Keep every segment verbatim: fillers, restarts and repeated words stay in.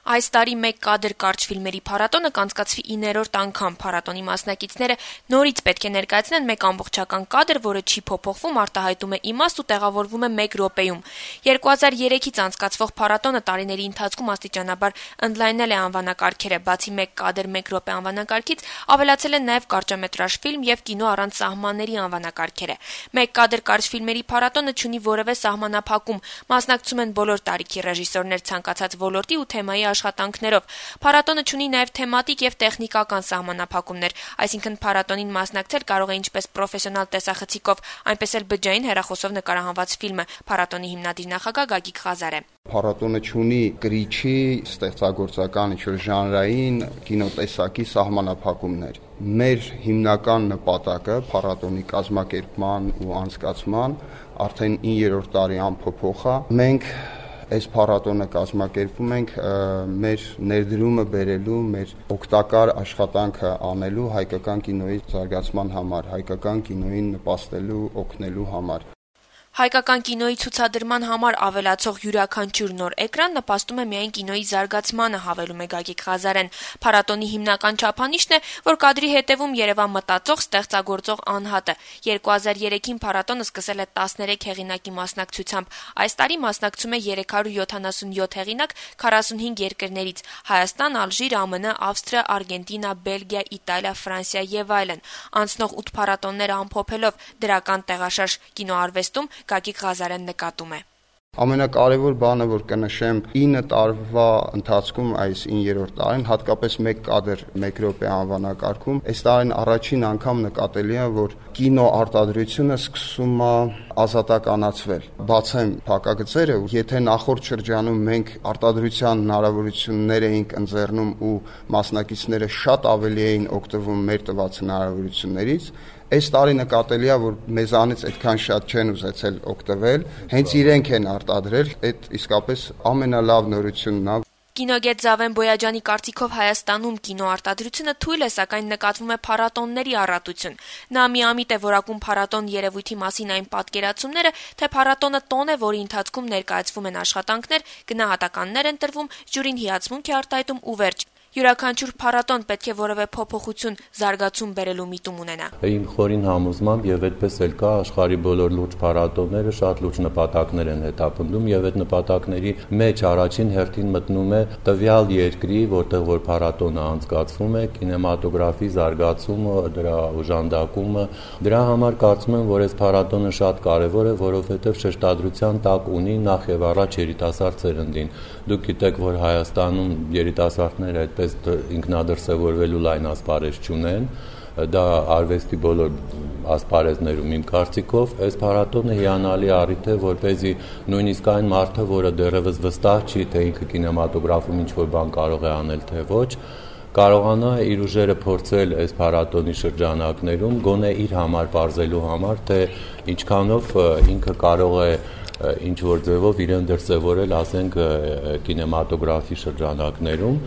Այս տարի մեկ կադր կարճ ֆիլմերի փառատոնը կանցկացվի իններորդ անգամ։ Փառատոնի մասնակիցները նորից պետք է ներկայացնեն մեկ ամբողջական կադր, որը չի փոփոխվում, արտահայտում է իմաստ ու տեղավորվում է մեկ րոպեում։ երկու հազար երեքից անցկացվող փառատոնը տարիների ընթացքում աստիճանաբար ընդլայնել է անվանակարգերը։ Բացի մեկ կադր մեկ րոպե անվանակարգից ավելացել են նաև կարճամետրաժ ֆիլմ եւ կինո առանց սահմանների անվանակարգերը։ Մեկ կադր կարճ ֆիլմերի փառատոնը չունի որևէ սահմանափակում։ Մասնակցում են բոլոր տարիքի ռեժիսորներ ցանկացած ոլորտի ու թեմայի աշխատանքներով։ Փառատոնը ունի նաև թեմատիկ եւ տեխնիկական սահմանափակումներ, այսինքն փառատոնին մասնակցել կարող է ինչպես պրոֆեսիոնալ տեսախցիկով, այնպես էլ բջջային հեռախոսով նկարահանված ֆիլմը։ Փառատոնի հիմնադիր նախագահ Գագիկ Ղազար է։ Փառատոնը ունի կրիչի, ստեղծագործական ինչ-որ ժանրային, կինոտեսակի սահմանափակումներ։ Մեր հիմնական նպատակը փառատոնի կազմակերպման ու անցկացման արդեն իններորդ տարի անփոփոխ է։ Մենք այս փառատոնը կազմակերպում ենք մեր ներդրումը բերելու, մեր օգտակար աշխատանքը անելու հայկական կինոյի զարգացման համար, հայկական կինոյին նպաստելու, օգնելու համար։ Հայկական կինոյի ցուցադրման համար ավելացող յուրաքանչյուր նոր էկրան նպաստում է միայն կինոյի զարգացմանը, հավելում է Գագիկ Ղազարեն։ Փառատոնի հիմնական չափանիշն է, որ կադրի հետևում երևա մտածող, ստեղծագործող անհատը։ երկու հազար երեքին փառատոնը սկսել է տասներեք հեղինակի մասնակցությամբ։ Այս տարի մասնակցում է երեք հարյուր յոթանասունյոթ հեղինակ քառասունհինգ երկրներից՝ Հայաստան, Ալժիր, ԱՄՆ, Ավստրիա, Արգենտինա, Բելգիա, Իտալիա, Ֆրանսիա եւ այլն։ Անցնող ութ փառատոնները ամփոփելով դրական տեղաշարժ կինոարվեստում Գագիկ Ղազարեն նկատում է. Ամենակարևոր բանը, որ կնշեմ, ինը տարվա ընթացքում այս իններորդ տարին, հատկապես մեկ կադր մեկ րոպե անվանակարգում, այս տարին առաջին անգամ նկատելի է, որ կինո արտադրությունը սկսում է ազատականացվել։ Բացեմ փակագծերը, եթե նախորդ շրջանում մենք արտադրության հնարավորություններ էինք ընձեռնում ու մասնակիցները շատ ավելի էին օգտվում մեր տված հնարավորություններից, այս տարի նկատելի է, որ մեզանից այդքան շատ չեն ուզեցել օգտվել, հենց իրենք են արտադրել, այդ իսկապես ամենալավ նորությունն է։ Կինոգետ Զավեն Բոյաջյանի կարծիքով Հայաստանում կինոարտադրությունը թույլ է, սակայն նկատվում է փառատոնների առատություն։ Նա միամիտ է որակում փառատոն երևույթի մասին այն պատկերացումները, թե փառատոնը տոն է, որի ընթացքում ներկայացվում են աշխատանքներ, գնահատականներ են տրվում, ժյուրին հիացմունք է արտահայտում ու վերջ։ Յուրաքանչյուր փառատոն պետք է որևէ փոփոխություն, զարգացում բերելու միտում ունենա։ Իմ խորին համոզմամբ եւ այդպես էլ կա, աշխարհի բոլոր լուրջ փառատոնները շատ լուրջ նպատակներ են հետապնդում եւ այդ նպատակների մեջ առաջին հերթին մտնում է տվյալ երկրի, որտեղ որ փառատոնը անցկացվում է, կինեմատոգրաֆի զարգացումը, դրա օժանդակումը։ Դրա համար կարծում եմ, որ այս փառատոնը շատ կարեւոր է, որովհետեւ շեշտադրության տակ ունի նախ եւ առաջ երիտասարդ սերնդին։ Դուք գիտեք, որ Հայաստանում երիտասարդները այդ ինքնադրսևորվելու լայն ասպարեզ չունեն, դա արվեստի բոլոր ասպարեզներում իմ կարծիքով, այս փառատոնը հիանալի առիթ է, որպեսզի նույնիսկ այն մարդը, որը դեռևս վստահ չի, թե ինքը կինեմատոգրաֆում ինչ-որ բան կարող է անել, թե ոչ, կարողանա իր ուժերը փորձել այս փառատոնի շրջանակներում, գոնե իր համար պարզելու համար, թե ինչքանով ինքը կարող է ինչ որ ձևով իրեն դրսևորել, ասենք, կինեմատոգրաֆի շրջանակներում։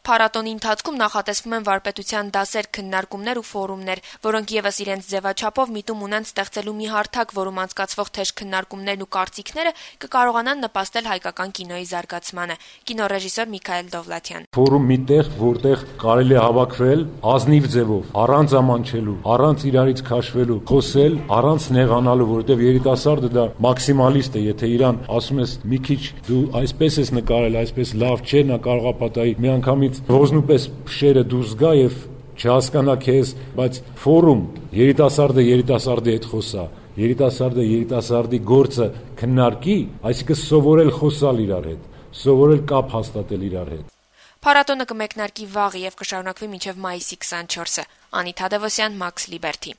Փառատոնի ընթացքում նախատեսվում են վարպետության դասեր, քննարկումներ ու ֆորումներ, որոնք եւս իրենց ձևաչափով միտում ունեն ստեղծելու մի հարթակ, որում անցկացվող թեժ քննարկումներն ու կարծիքները կկարողանան նպաստել հայկական կինոյի զարգացմանը։ Կինոռեժիսոր Միքայել Դովլաթյան։ Ֆորում միտեղ, որտեղ կարելի է հավաքվել ազնիվ ձևով, առանց ամանչելու, առանց իրարից քաշվելու, խոսել, առանց նեղանալու, որովհետեւ երիտասարդը դա մաքսիմալիստ է, եթե իրան ասում ես մի քիչ դու այսպես ես նկարել, այսպես լավ չէ, նա կարող է պատահի մի անգամից ոզնուպես փշերը դուրս գա եւ չհասկանա քեզ, բայց ֆորում երիտասարդը երիտասարդի հետ խոսա, երիտասարդը երիտասարդի գործը քննարկի, այսինքն սովորել խոսալ իրար հետ, սովորել կապ հաստատել իրար հետ։ Փառատոնը կմեկնարկի վաղ եւ կշարունակվի մինչեւ մայիսի քսանչորսը։ Անիթ Հադևոսյան, Մաքս Լիբերթի։